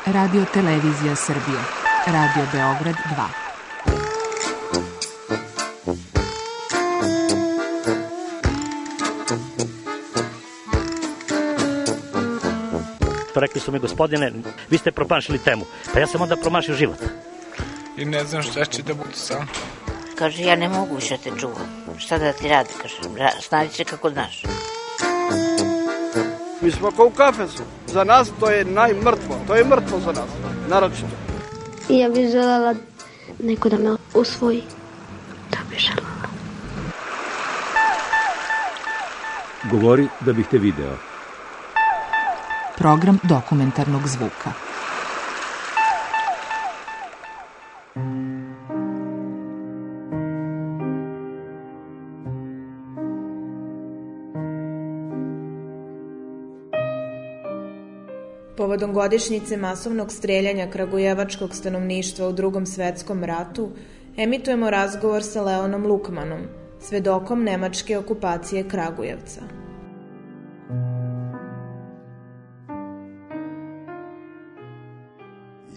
Radio Televizija Srbije. Radio Beograd 2. Rekli su mi, gospodine, vi ste promašili temu. Pa ja sam onda promašio život. I ne znam šta će da bude sam. Kaže, ja ne mogu više te čuvam. Šta da ti radi, kaže, snađi se kako znaš. Mi smo kao u kafesu. Za nas to je najmrtvo. To je mrtvo za nas, naročito. I ja bih želela neko da me usvoji. To bih želela. Govori da bih te video. Program dokumentarnog zvuka. Povodom godišnjice masovnog streljanja kragujevačkog stanovništva u Drugom svetskom ratu, emitujemo razgovor sa Leonom Lukmanom, svedokom nemačke okupacije Kragujevca.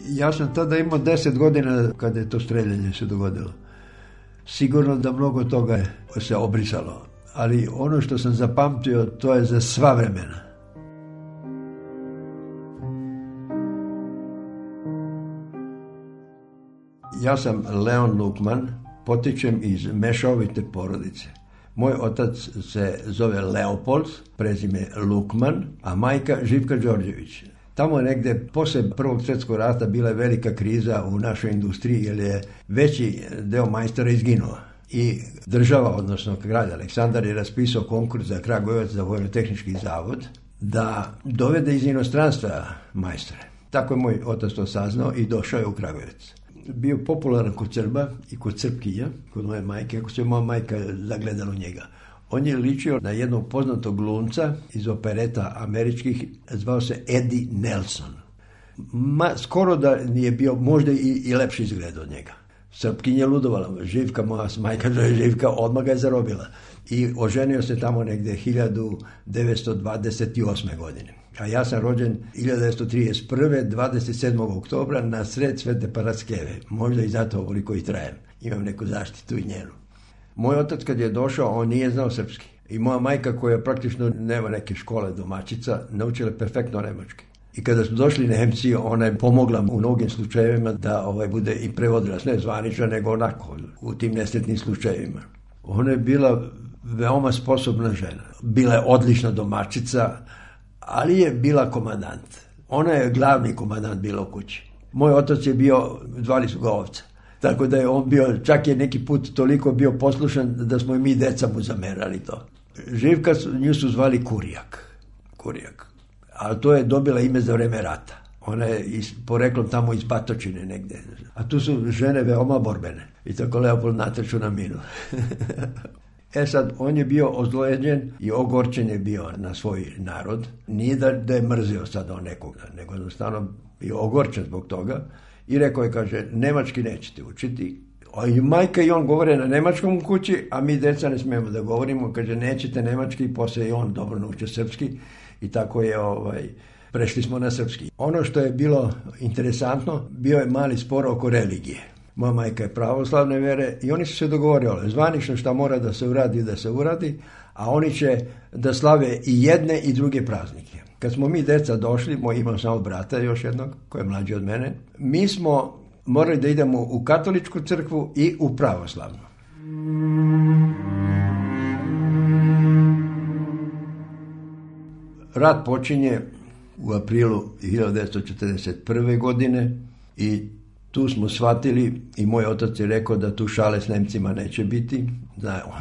Ja sam tada imao 10 godina kada je to streljanje se dogodilo. Sigurno da mnogo toga se obrisalo, ali ono što sam zapamtio, to je za sva vremena. Ja sam Leon Lukman, potičem iz mešovite porodice. Moj otac se zove Leopold, prezime Lukman, a majka Živka Đorđević. Tamo je negde, posle Prvog svjetskog rata, bila je velika kriza u našoj industriji, jer je veći deo majstora izginuo. I država, odnosno grad Aleksandar, je raspisao konkurs za Kragujevac, za Vojno-tehnički zavod, da dovede iz inostranstva majstore. Tako je moj otac to saznao i došao je u Kragujevac. Bio popularan kod Srba i kod Srpkinja, kod moje majke, ako se moja majka zagledala u njega. On je ličio na jednog poznatog glumca iz opereta američkih, zvao se Eddie Nelson. Skoro da nije bio, možda i lepši izgled od njega. Srpkinja je ludovala, Živka, moja majka Živka, odmah ga je zarobila. I oženio se tamo negde 1928. godine. A ja sam rođen 1931. 27. oktobra na sred Svete Paraskeve. Možda i zato ovoliko i trajem. Imam neku zaštitu i njenu. Moj otac kad je došao, on nije znao srpski. I moja majka, koja praktično nema neke škole domaćica, naučila perfektno nemački. I kada su došli Nemci, ona je pomogla u mnogim slučajevima da bude i prevodila, ne zvanično, nego onako, u tim nesretnim slučajevima. Ona je bila veoma sposobna žena. Bila je odlična domaćica, ali je bila komandant. Ona je glavni komandant bila u kući. Moj otac je bio, zvali su ga Ovca. Tako da je on bio, čak je neki put toliko bio poslušan da smo i mi deca mu zamerali to. Živka, nju su zvali Kurijak. Ali to je dobila ime za vreme rata. Ona je poreklom tamo iz Batočine negde. A tu su žene veoma borbene. I tako Leopold natrču na minu. Sad, on je bio ozlojeđen i ogorčen je bio na svoj narod. Nije da je mrzio sada nekoga, nego jednostavno bio ogorčen zbog toga. I rekao je, kaže, nemački nećete učiti. A i majka i on govore na nemačkom u kući, a mi deca ne smijemo da govorimo. Kaže, nećete nemački, posle i on dobro naučio srpski. I tako je, prešli smo na srpski. Ono što je bilo interesantno, bio je mali spor oko religije. Moja majka je pravoslavne vere i oni su se dogovorili zvanično šta mora da se uradi, a oni će da slave i jedne i druge praznike. Kad smo mi deca došli, imam samo brata još jednog, koji je mlađi od mene, mi smo morali da idemo u katoličku crkvu i u pravoslavnu. Rat počinje u aprilu 1941. godine i tu smo shvatili i moj otac je rekao da tu šale s Nemcima neće biti.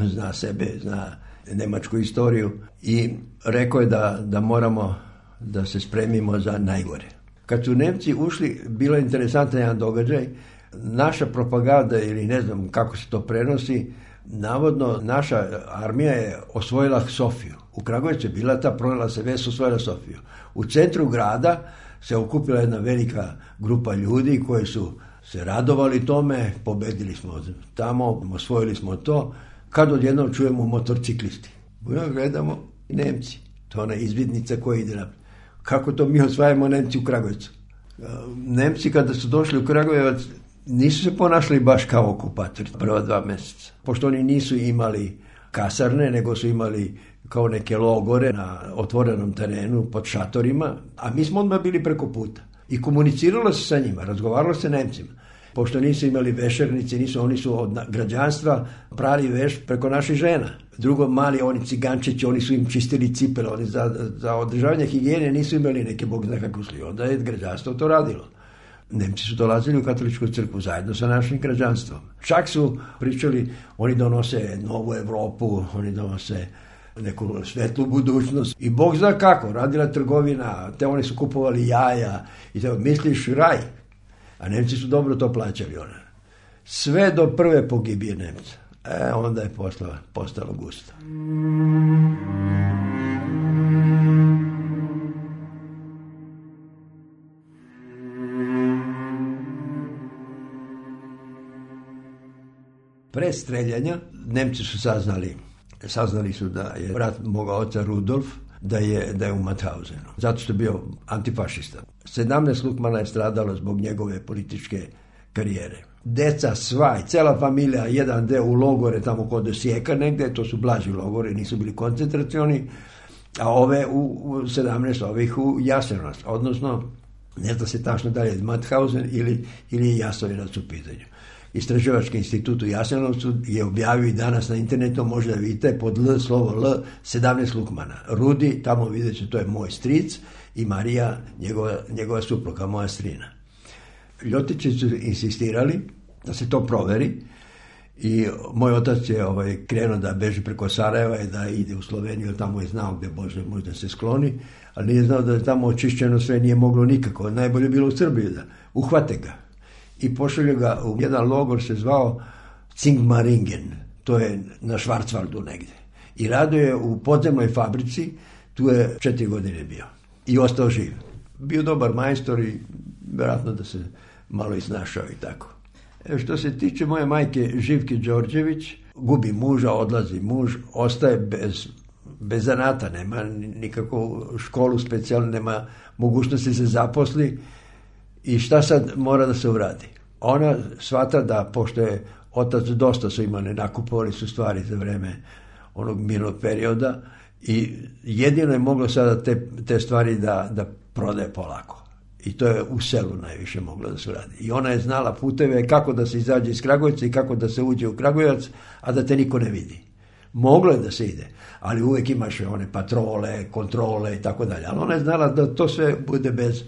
On zna sebe, zna nemačku istoriju i rekao je da moramo da se spremimo za najgore. Kad su Nemci ušli, bilo je interesantan jedan događaj. Naša propaganda, ili ne znam kako se to prenosi, navodno naša armija je osvojila Sofiju. U Kragujevcu je bila ta, pronela se vest, osvojila Sofiju. U centru grada se okupila jedna velika grupa ljudi koji su se radovali tome, pobedili smo tamo, osvojili smo to, kad odjednom čujemo motorciklisti. Gledamo Nemci, to je ona izvidnica koja ide naprijed. Kako to mi osvajamo Nemci u Kragujevcu? Nemci kada su došli u Kragujevac nisu se ponašali baš kao okupatori prva 2 mjeseca. Pošto oni nisu imali kasarne, nego su imali kao neke logore na otvorenom terenu pod šatorima, a mi smo odmah bili preko puta. I komuniciralo se sa njima, razgovaralo se Nemcima. Pošto nisu imali vešernici, oni su od građanstva prali veš preko naših žena. Drugo, mali oni cigančići, oni su im čistili cipele, oni za održavanje higijene nisu imali neke bog zna kako sli. Onda je građanstvo to radilo. Nemci su dolazili u katoličku crkvu zajedno sa našim građanstvom. Čak su pričali, oni donose novu Evropu, oni donose neku svetlu budućnost i bog zna kako, radila trgovina, te oni su kupovali jaja i te misliš raj, a Nemci su dobro to plaćali ona. Sve do prve pogibije Nemca. Onda je postalo gusto. Pre streljanja Nemci su saznali su da je brat moga oca Rudolf da je u Mauthausenu, zato što je bio antifašista. 17 Lukmana je stradalo zbog njegove političke karijere. Deca sva i cela familija, jedan deo u logore tamo kod Osijeka negde, to su blaži logore, nisu bili koncentracioni, a ove u 17 ovih u Jasenovac, odnosno ne zna se tačno da je Mauthausen ili je Jasenovac u pitanju. Istraživački institut u Jasenovcu je objavio i danas na internetu, možda vidite pod slovo L 17 Lukmana. Rudi, tamo vidjet će, to je moj stric i Marija, njegova supruga, moja strina. Ljotići su insistirali da se to proveri i moj otac je krenuo da beži preko Sarajeva i da ide u Sloveniju, tamo je znao gde možda se skloni, ali nije znao da je tamo očišćeno sve, nije moglo nikako. Najbolje bilo u Srbiji da uhvate ga. I pošalju ga u jedan logor, se zvao Zingmaringen, to je na Schwarzwaldu negde. I radio je u podzemnoj fabrici, tu je 4 godine bio. I ostao živ. Bio dobar majstor i vjerojatno da se malo isnašao i tako. Što se tiče moje majke Živke Đorđević, gubi muža, odlazi muž, ostaje bez zanata, nema nikakvu školu specijalnu, nema mogućnosti se zaposli. I šta sad mora da se uradi? Ona shvata da, pošto je otac dosta su imali, nakupovali su stvari za vreme onog mirnog perioda i jedino je moglo sada te stvari da prodaje polako. I to je u selu najviše moglo da se uradi. I ona je znala puteve kako da se izađe iz Kragujevca i kako da se uđe u Kragujevac, a da te niko ne vidi. Moglo je da se ide, ali uvek imaš one patrole, kontrole i tako dalje. Ali ona je znala da to sve bude bez...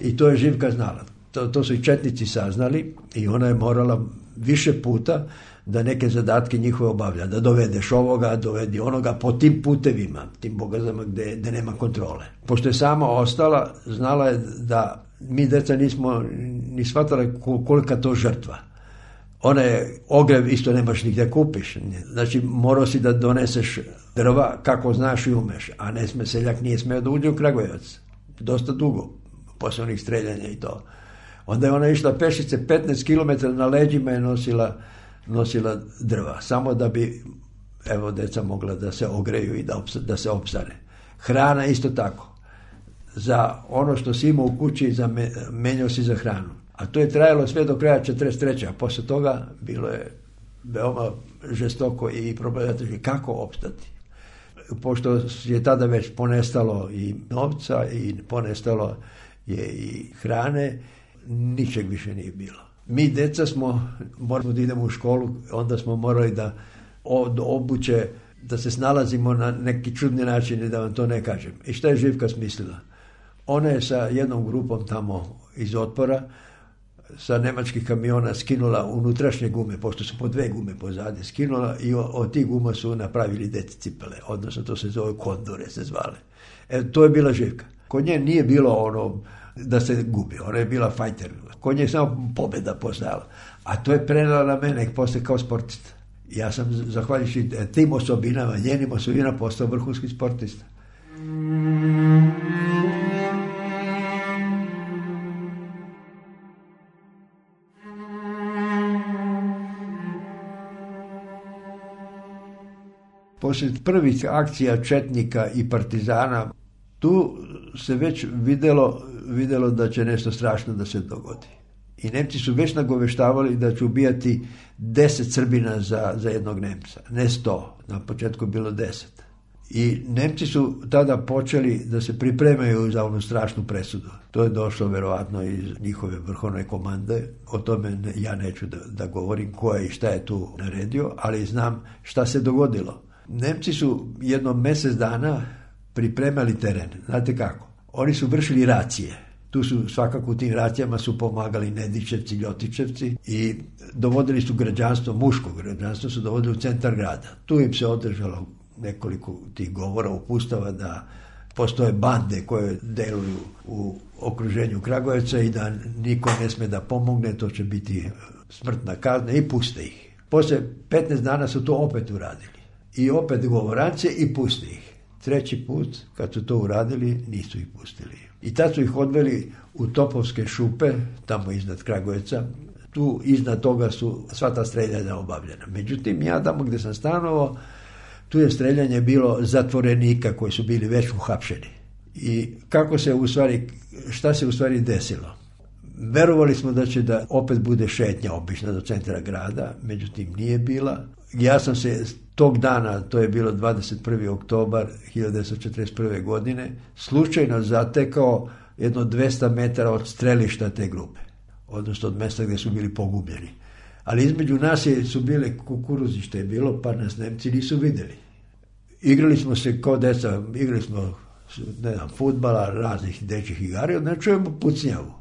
I to je Živka znala. To su i četnici saznali i ona je morala više puta da neke zadatke njihove obavlja. Da dovedeš ovoga, dovedi onoga po tim putevima, tim bogazama gde nema kontrole. Pošto je sama ostala, znala je da mi deca nismo ni shvatali kolika to žrtva. Ona je ogrev isto nemaš nigde kupiš. Znači morao si da doneseš drva kako znaš i umeš. A seljak nije smeo da uđe u Kragujevac. Dosta dugo. Posle onih streljanja i to. Onda je ona išla pešice 15 km na leđima je nosila drva. Samo da bi deca mogla da se ogreju i da se opsane. Hrana isto tako. Za ono što si imao u kući menjao si za hranu. A to je trajalo sve do kraja 43. A posle toga bilo je veoma žestoko i problematično kako opstati. Pošto je tada već ponestalo i novca i ponestalo je i hrane, ničeg više nije bilo. Mi deca moramo da idemo u školu, onda smo morali da od obuće, da se snalazimo na neki čudni način i da vam to ne kažem. I šta je Živka smislila? Ona je sa jednom grupom tamo iz Otpora sa nemačkih kamiona skinula unutrašnje gume, pošto su po 2 gume pozadi, skinula i od tih guma su napravili deci cipele, odnosno to se zove kondore, se zvale. To je bila Živka. Kod nje nije bilo ono da se gubi, ona je bila fajter. Kod nje je samo pobjeda postojala. A to je prenela na mene posle kao sportista. Ja sam, zahvaljujući tim osobinama, njenim osobinama, postao vrhunski sportista. Posle prvih akcija četnika i partizana, tu se već videlo vidjelo da će nešto strašno da se dogodi. I Nemci su već nagoveštavali da će ubijati 10 Srbina za jednog Nemca, ne 100, na početku je bilo 10. I Nemci su tada počeli da se pripremaju za onu strašnu presudu. To je došlo verovatno iz njihove vrhovne komande. O tome ja neću da govorim ko je i šta je tu naredio, ali znam šta se dogodilo. Nemci su jedno mjesec dana pripremali teren. Znate kako? Oni su vršili racije. Tu su svakako u tim racijama su pomagali Nedićevci, Ljotićevci i dovodili su građanstvo, muško građanstvo su dovodili u centar grada. Tu im se održalo nekoliko tih govora, upustava da postoje bande koje deluju u okruženju Kragujevca i da niko ne sme da pomogne, to će biti smrtna kazna i puste ih. Poslije 15 dana su to opet uradili. I opet govorance i puste ih. Treći put, kad su to uradili, nisu ih pustili. I tad su ih odveli u Topovske šupe, tamo iznad Kragujevca. Tu iznad toga su sva ta streljanja obavljena. Međutim, ja tamo gdje sam stanovao, tu je streljanje bilo zatvorenika koji su bili već uhapšeni. I šta se u stvari desilo? Verovali smo da će da opet bude šetnja obična do centra grada, međutim nije bila. Ja sam se tog dana, to je bilo 21. oktobar 1941. godine, slučajno zatekao jedno 200 metara od strelišta te grupe, odnosno od mjesta gdje su bili pogubljeni. Ali između nas su bile kukuruzište je bilo, pa nas Nemci nisu vidjeli. Igrali smo se kao deca, igrali smo fudbala, raznih dečjih igara, onda čujemo pucnjavu.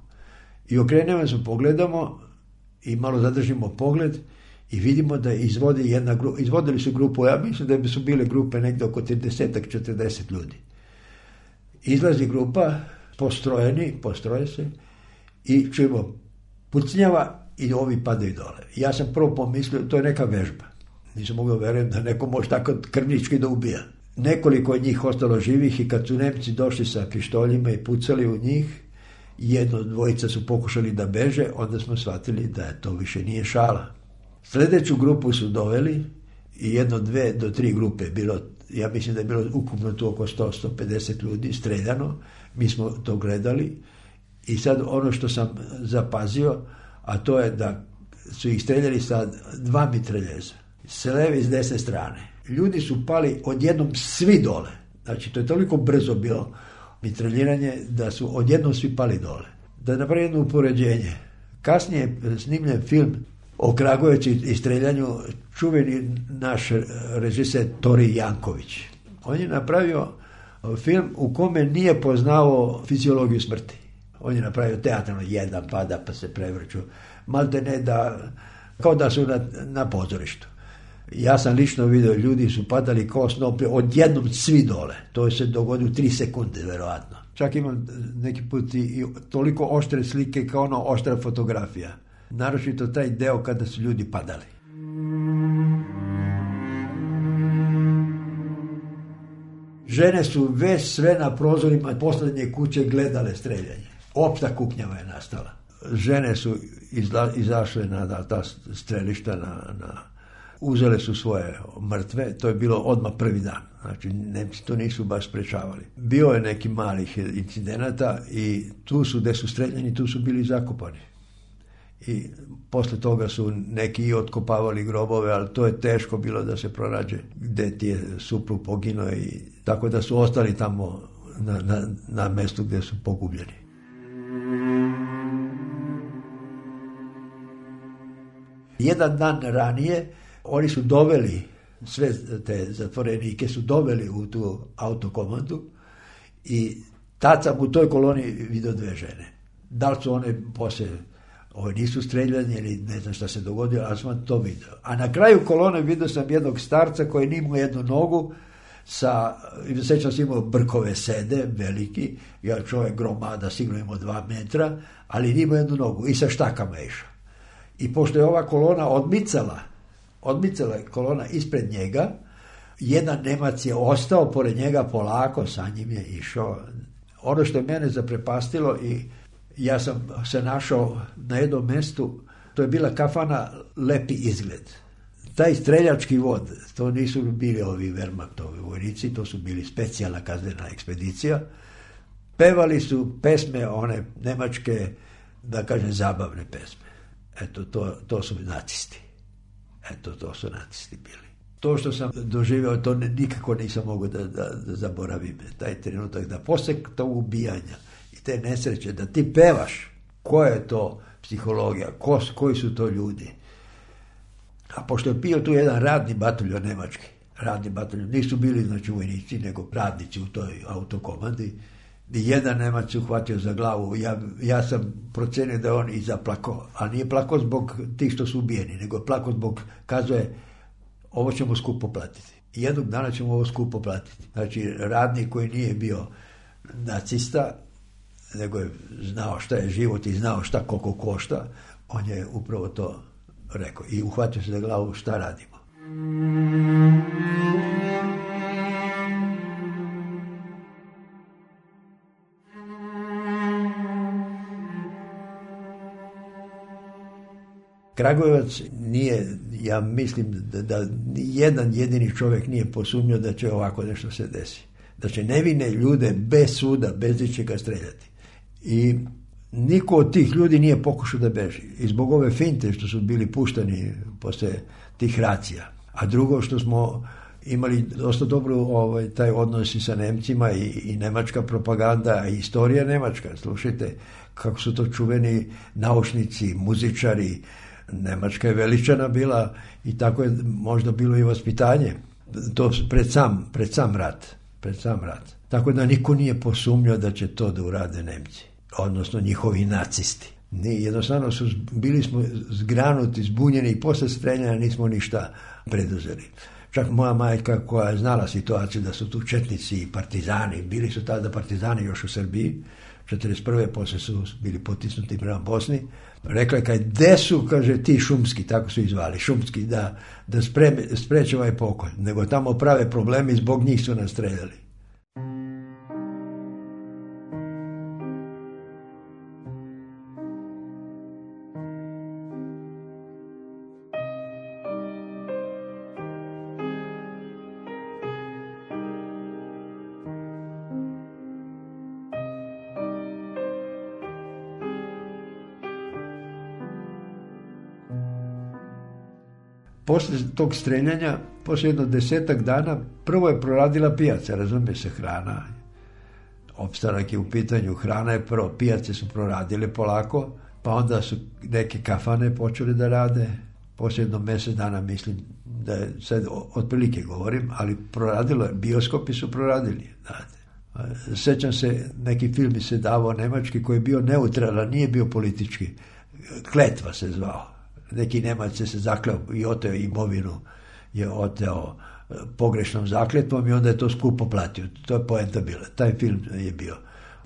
I okrenemo se, pogledamo i malo zadržimo pogled i vidimo da izvodili su grupu, ja mislim da su bile grupe negdje oko 30-40 ljudi. Izlazi grupa, postroje se i čujemo pucnjava i ovi padaju dole. Ja sam prvo pomislio, to je neka vežba. Nisam mogao vjerovati da neko može tako krvnički da ubija. Nekoliko od njih ostalo živih i kad su Nemci došli sa pištoljima i pucali u njih, dvojica su pokušali da beže, onda smo shvatili da to više nije šala. Sljedeću grupu su doveli i 1, 2 do 3 grupe bilo, ja mislim da je bilo ukupno tu oko 100-150 ljudi streljano, mi smo to gledali i sad ono što sam zapazio, a to je da su ih streljali sa 2 mitraljeza, s leve i s desne strane. Ljudi su pali odjednom svi dole, znači to je toliko brzo bilo mitraljiranje da su odjednom svi pali dole. Da napravim jedno upoređenje, kasnije je snimljen film o Kragujevcu i streljanju, čuveni naš režiser Tori Janković. On je napravio film u kome nije poznao fiziologiju smrti. On je napravio teatralno, jedan pada pa se prevrću, malte ne kao da su na pozorištu. Ja sam lično vidio, ljudi su padali kao snope, odjednom svi dole. To se dogodilo 3 sekunde, verovatno. Čak imam neki put i toliko oštre slike kao oštra fotografija. Naročito taj deo kada su ljudi padali. Žene su već sve na prozorima posljednje kuće gledale streljanje. Opšta kuknjava je nastala. Žene su izašle na ta strelišta, uzele su svoje mrtve, to je bilo odmah prvi dan. Znači, Nemci to nisu baš sprečavali. Bio je neki malih incidenata i tu su, gdje su streljani, tu su bili zakopani. I posle toga su neki i otkopavali grobove, ali to je teško bilo da se pronađe gdje ti je suprug poginuo i tako da su ostali tamo na mjestu gdje su pogubljeni. Jedan dan ranije oni su doveli, sve te zatvorenike su doveli u tu autokomandu i tad sam u toj koloni vidio 2 žene. Da li su one poslije nisu streljani ili ne znam šta se dogodilo, ali sam to vidio. A na kraju kolone vidio sam jednog starca koji nije imao jednu nogu, sećam se imao brkove sede, veliki, ja čovjek gromada, sigurno imao 2 metra, ali nije imao jednu nogu i sa štakama je išao. I pošto je ova kolona odmicala je kolona ispred njega, jedan Nemac je ostao pored njega polako, sa njim je išao. Ono što je mene zaprepastilo i ja sam se našao na jednom mjestu, to je bila kafana Lepi izgled. Taj streljački vod, to nisu bili ovi Wehrmachtovi vojnici, to su bili specijalna kaznena ekspedicija. pevali su pesme one nemačke, da kažem, zabavne pesme. Eto, to su nacisti. Eto, to su nacisti bili. To što sam doživio, to nikako nisam mogao da zaboravim. Taj trenutak, da posle tog ubijanja i te nesreće, da ti pevaš, koja je to psihologija, koji su to ljudi. A pošto je bio tu jedan radni bataljon nemački, radni bataljon, nisu bili znači vojnici, nego radnici u toj autokomandi, i jedan Nemac se uhvatio za glavu. Ja sam procenio da je on i zaplakao, a nije plakao zbog tih što su ubijeni, nego je plakao zbog, kazuje, ovo ćemo skupo platiti. I jednog dana ćemo ovo skupo platiti. Znači, radnik koji nije bio nacista, nego je znao šta je život i znao šta koliko košta, on je upravo to rekao. I uhvatio se za glavu, šta radimo. Kragujevac nije, ja mislim da jedan jedini čovjek nije posumnio da će ovako nešto se desi. Da će nevine ljude bez suda, bez ničega streljati. I niko od tih ljudi nije pokušao da beži. I zbog ove finte što su bili puštani posle tih racija. A drugo što smo imali dosta dobro taj odnos i sa Nemcima i nemačka propaganda i istorija nemačka. Slušajte kako su to čuveni naučnici, muzičari. Nemačka je veličana bila i tako je možda bilo i vaspitanje. To pred sam rat. Tako da niko nije posumnjao da će to da urade Nemci, odnosno njihovi nacisti. Jednostavno bili smo zgranuti, zbunjeni i posle streljanja nismo ništa preduzeli. Čak moja majka koja je znala situaciju da su tu četnici i partizani, bili su tada partizani još u Srbiji, 1941. posle su bili potisnuti prema Bosni, rekla je gde su, kaže, ti šumski, tako su izvali, šumski, da spreče ovaj pokolj, nego tamo prave problemi, zbog njih su nas streljali. Posle tog streljanja, posle jedno 10 dana, prvo je proradila pijaca, razumije se, hrana. Opstanak je u pitanju, hrana je prvo, pijace su proradile polako, pa onda su neke kafane počeli da rade. Posle jedno mjesec dana, mislim da je sad otprilike govorim, ali proradilo je, bioskopi su proradili. Znate. Sećam se, neki film se davao nemački koji je bio neutralan, nije bio politički. Kletva se zvao. Neki Nemac se zakleo i oteo imovinu, je oteo pogrešnom zakletvom i onda je to skupo platio. To je poenta bila. Taj film je bio.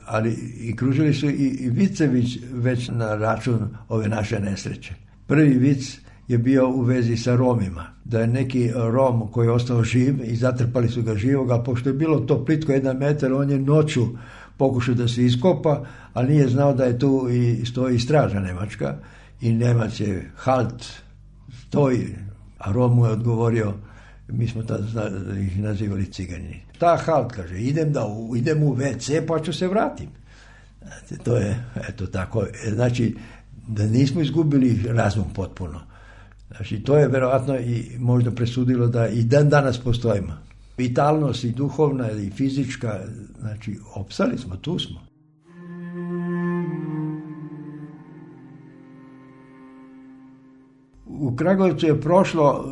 Ali i kružili su i vicevi već na račun ove naše nesreće. Prvi vic je bio u vezi sa Romima. Da je neki Rom koji je ostao živ i zatrpali su ga živog, a pošto je bilo to plitko 1 metar, on je noću pokušao da se iskopa, ali nije znao da je tu i stoji straža nemačka. I Nemac je halt, stoji, a Rom mu je odgovorio, mi smo tada ih nazivali cigani. Ta halt, kaže, idem u WC pa ću se vratim. Znači, to je, eto tako, znači da nismo izgubili razum potpuno. Znači, to je verovatno i možda presudilo da i dan danas postojimo. Vitalnost i duhovna i fizička, znači, opstali smo, tu smo. U Kragujevcu je prošlo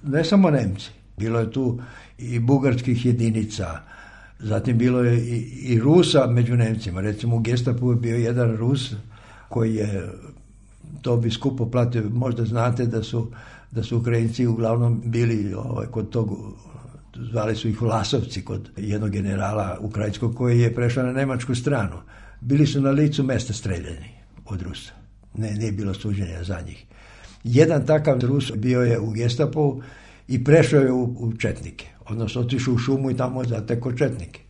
ne samo Nemci, bilo je tu i bugarskih jedinica, zatim bilo je i Rusa među Nemcima. Recimo u Gestapu je bio jedan Rus koji je, to bi skupo platio, možda znate da su Ukrajinci uglavnom bili kod tog, zvali su ih Vlasovci, kod jednog generala ukrajinskog koji je prešao na nemačku stranu. Bili su na licu mesta streljani od Rusa. Nije bilo suđenja za njih. Jedan takav Rus bio je u Gestapu i prešao je u četnike, odnosno otišao u šumu i tamo zatekao četnike.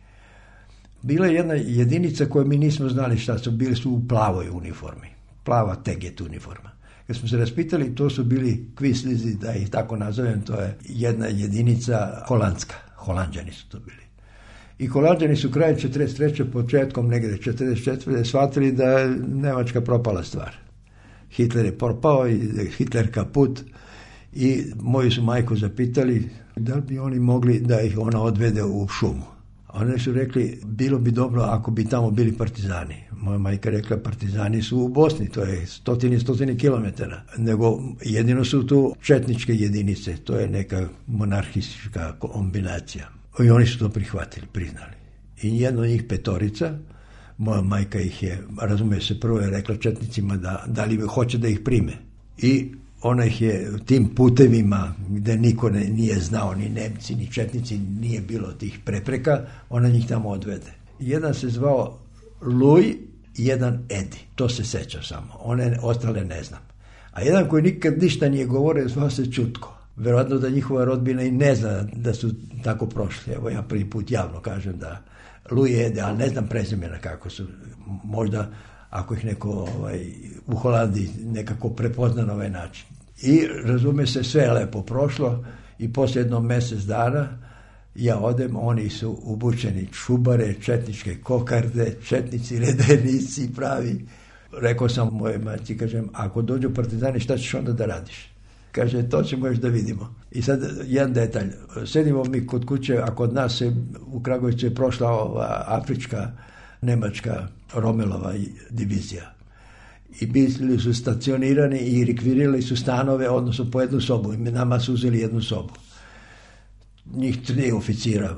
Bila je jedna jedinica koju mi nismo znali šta su, bili su u plavoj uniformi, plava teget uniforma. Kad smo se raspitali, to su bili kvislizi, da ih tako nazovem, to je jedna jedinica holandska, Holanđani su to bili. I Holanđani su krajem 43. početkom negdje 44. shvatili da je Nemačka propala stvar. Hitler je propao i Hitler kaput i moju su majku zapitali da li bi oni mogli da ih ona odvede u šumu. Oni su rekli, bilo bi dobro ako bi tamo bili partizani. Moja majka rekla, partizani su u Bosni, to je stotine kilometara. Nego jedino su tu četničke jedinice, to je neka monarhistička kombinacija. I oni su to prihvatili, priznali. I jedno od njih 5, moja majka ih je, razumije se, prvo je rekla četnicima da li hoće da ih prime. I ona ih je tim putevima gdje niko nije znao, ni Nemci, ni četnici, nije bilo tih prepreka, ona njih tamo odvede. Jedan se zvao Luj, jedan Edi, to se seća samo, one ostale ne znam. A jedan koji nikad ništa nije govorio, zvao se Čutko. Verovatno da njihova rodbina i ne zna da su tako prošli. Evo ja prvi put javno kažem da Luj Ede, ali ne znam prezimena kako su. Možda ako ih neko u Holandiji nekako prepozna na ovaj način. I razume se, sve je lepo prošlo i poslije jedno mjesec dana ja odem, oni su obučeni čubare, četničke kokarde, četnici, redenici pravi. Rekao sam moje majci, kažem, ako dođu partizani, šta ćeš onda da radiš? Kaže, to ćemo još da vidimo. I sad jedan detalj, sedimo mi kod kuće, a kod nas je u Kragujevcu je prošla ova afrička, nemačka Romelova divizija. I bili su stacionirani i rekvirirali su stanove, odnosno po jednu sobu. I nama su uzeli jednu sobu. Njih 3 oficira,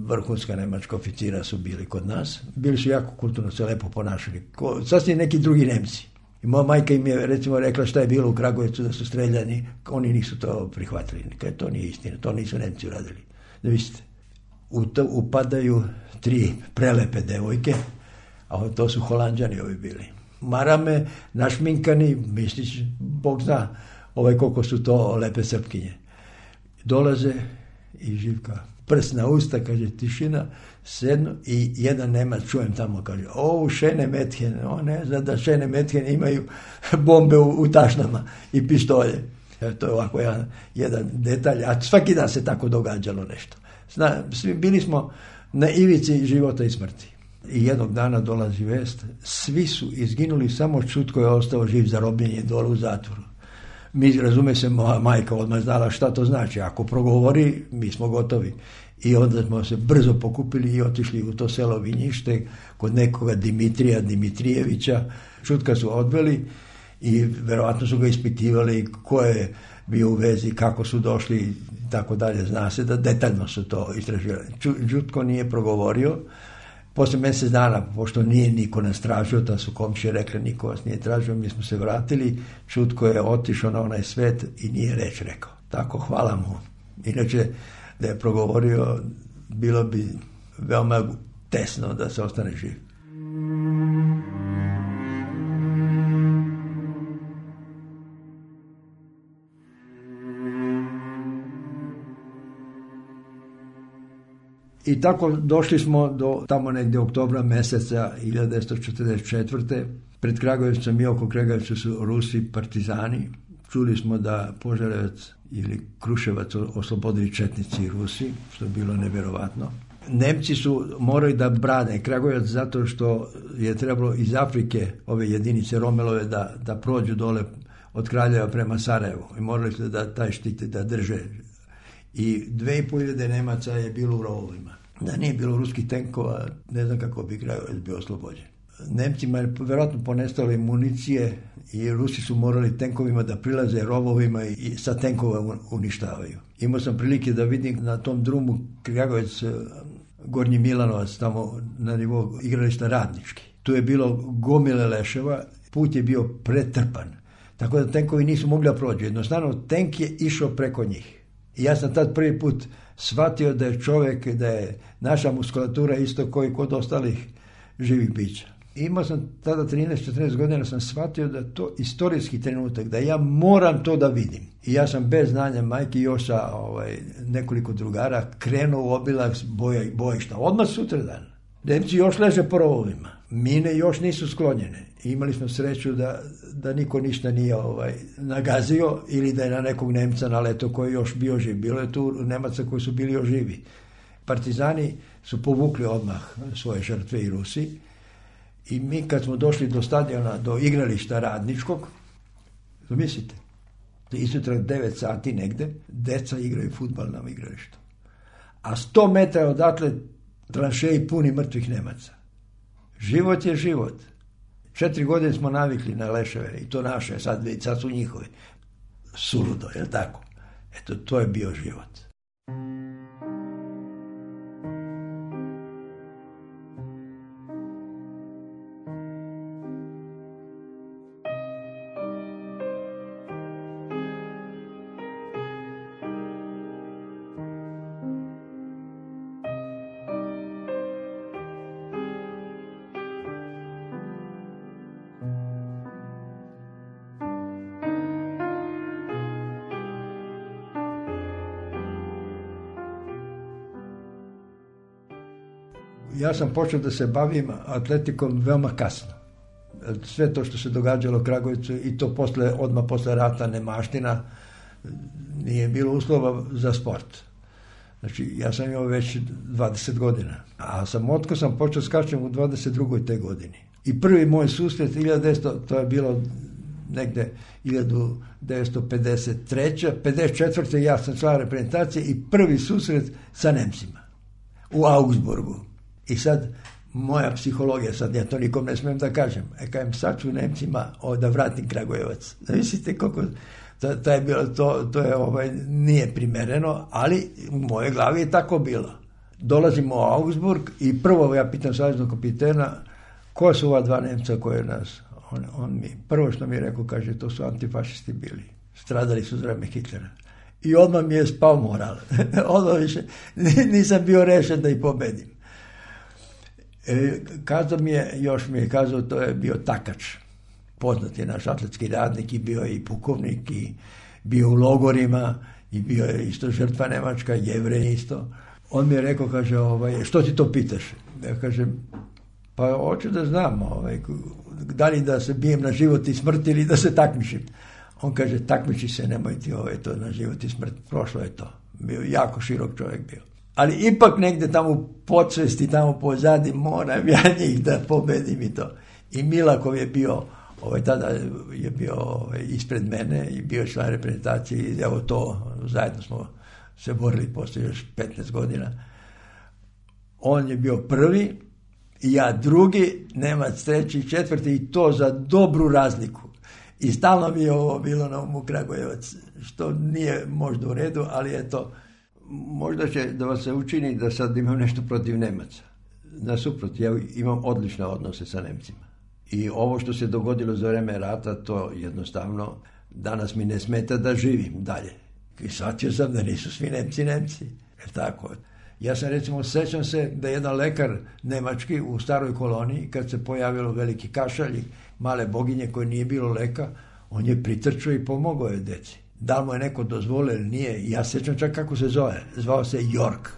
vrhunska nemačka oficira su bili kod nas. Bili su jako kulturno, se lepo ponašali. Sasvim neki drugi Nemci. I moja majka im je recimo rekla šta je bilo u Kragujevcu da su streljani. Oni nisu to prihvatili. Kaj, to nije istina, to nisu Nemci uradili. Da vidite, upadaju 3 prelepe devojke, a to su Holanđani ovi bili. Marame, našminkani, misliš, Bog zna koliko su to lepe Srpkinje. Dolaze i Živka, prst na usta, kaže tišina, sednu i jedan Nemac, čujem tamo, kaže, šene methen, on ne zna da šene methen imaju bombe u tašnama i pištolje. To je ovako jedan detalj, a svaki dan se tako događalo nešto. Bili smo na ivici života i smrti. I jednog dana dolazi vest, svi su izginuli, samo Čutko je ostao živ za robljenje dole u zatvoru. Mi, razume se, moja majka odmah znala šta to znači, ako progovori, mi smo gotovi. I onda smo se brzo pokupili i otišli u to selo Vinjište kod nekoga Dimitrijevića. Čutka su odveli i verovatno su ga ispitivali ko je bio u vezi, kako su došli i tako dalje. Zna se da detaljno su to istraživali. Čutko nije progovorio. Poslije mjesec dana, pošto nije niko nas tražio, da su komšije rekli niko vas nije tražio, mi smo se vratili, Čutko je otišao na onaj svet i nije reč rekao. Tako, hvala mu. Inače, da je progovorio, bilo bi veoma tesno da se ostane živ. I tako došli smo do tamo negdje oktobra mjeseca 1944. Pred Kragujevcem i oko Kragujevca su Rusi partizani. Čuli smo da Požarevac ili Kruševac oslobodili četnici i Rusi, što je bilo nevjerovatno. Nemci su morali da brane Kragujevac zato što je trebalo iz Afrike ove jedinice Romelove da prođu dole od Kraljeva prema Sarajevu. I morali su da taj štit da drže. I 2500 Nemaca je bilo u rovovima. Da nije bilo ruskih tenkova, ne znam kako bi Kragujevac bio oslobođen. Nemcima je vjerojatno ponestalo municije i Rusi su morali tenkovima da prilaze rovovima i sa tenkova uništavaju. Imao sam prilike da vidim na tom drumu Kragujevac, Gornji Milanovac, tamo na nivou igrališta Radnički. Tu je bilo gomile leševa, put je bio pretrpan. Tako da tenkovi nisu mogli da prođu. Jednostavno, tenk je išao preko njih. I ja sam tad prvi put shvatio da je čovjek, da je naša muskulatura isto koji kod ostalih živih bića. Imao sam tada 13-14 godina, sam shvatio da je to istorijski trenutak, da ja moram to da vidim. I ja sam bez znanja majke još sa nekoliko drugara krenuo u obilak bojišta. Odmah sutradan. Nemci još leže po rovovima. Mine još nisu sklonjene. I imali smo sreću da niko ništa nije nagazio ili da je na nekog Nemca naletao koji je još bio živ. Bilo je tu Nemaca koji su bili još živi. partizani su povukli odmah svoje žrtve i Rusi i mi kad smo došli do stadiona, do igrališta Radničkog, zamislite, izutra 9 sati negde, deca igraju fudbal na igralištu. A 100 metara odatle tranšeji puni mrtvih Nemaca. Život je život. 4 godine smo navikli na leševe i to naše, sad su njihove. Suludo, je li tako? Eto, to je bio život. Ja sam počeo da se bavim atletikom veoma kasno. Sve to što se događalo u Kragujevcu i to odmah posle rata, nemaština, nije bilo uslova za sport. Znači, ja sam imao već 20 godina. A samotko sam počeo skačem u 22. te godini. I prvi moj susret, 1900, to je bilo negde 1953. 54. ja sam član reprezentacije i prvi susret sa Nemcima u Augsburgu. I sad, moja psihologija, sad ja to nikom ne smijem da kažem, kajem sad ću Nemcima da vratim Kragujevac. Mislite koliko, to je bilo, to je, nije primereno, ali u mojoj glavi je tako bilo. Dolazimo u Augsburg i prvo ja pitam saveznog kapitena, ko su ova 2 Nemca koje nas, on mi, prvo što mi je rekao, kaže, to su antifašisti bili, stradali su za vreme Hitlera. I odmah mi je spao moral. Odmah više, nisam bio rešen da ih pobedim. Još mi je kazao, to je bio Takač, poznati naš atletski radnik i bio je i pukovnik i bio u logorima i bio je isto žrtva Nemačka, Jevrej isto. On mi je rekao, kaže, što ti to pitaš? Ja kažem, pa hoću da znam, da li da se bijem na život i smrt ili da se takmičim. On kaže, takmiči se, nemoj ti to na život i smrt, prošlo je to. Bio jako širok čovjek bio. Ali ipak negde tamo u podsvesti, tamo pozadi, moram ja njih da pobedim i to. I Milakov je bio, tada je bio ispred mene i bio član reprezentacije i evo to, zajedno smo se borili poslije još 15 godina. On je bio prvi i ja drugi, Nemac treći i četvrti i to za dobru razliku. I stalno mi je ovo bilo na umu Kragujevac, što nije možda u redu, ali je to. Možda će da vas se učini da sad imam nešto protiv Nemaca. Nasuprot, ja imam odlične odnose sa Nemcima. I ovo što se dogodilo za vreme rata, to jednostavno danas mi ne smeta da živim dalje. I shvatio sam da nisu svi Nemci. Jer tako. Ja sam recimo, sećam se da jedan lekar nemački u staroj koloniji, kad se pojavilo veliki kašalj i male boginje koje nije bilo leka, on je pritrčao i pomogao je deci. Da li mu je neko dozvolio ili nije, ja sećam čak kako se zove. Zvao se York.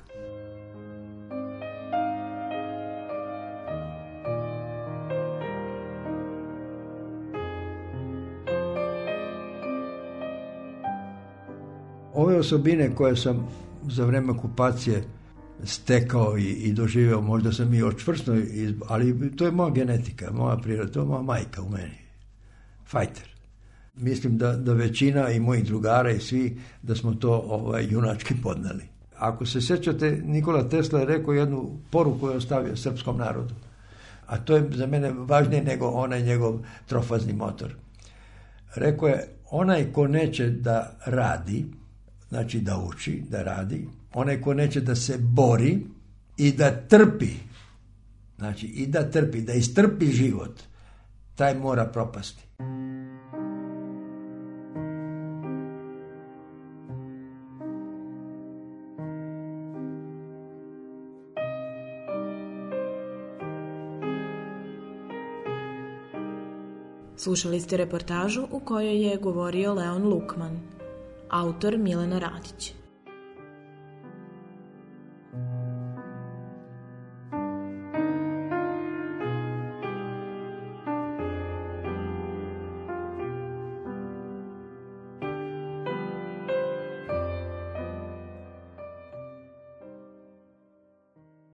Ove osobine koje sam za vreme okupacije stekao i doživeo, možda sam i očvrsno, ali to je moja genetika, moja priroda, to je moja majka u meni. Fajter. Mislim da većina i mojih drugara i svi, da smo to junački podneli. Ako se sjećate, Nikola Tesla je rekao jednu poruku koju je ostavio srpskom narodu. A to je za mene važnije nego onaj njegov trofazni motor. Rekao je, onaj ko neće da radi, znači da uči, da radi, onaj ko neće da se bori i da trpi, znači i da trpi, da istrpi život, taj mora propasti. Slušali ste reportažu u kojoj je govorio Leon Lukman, autor Milena Radić.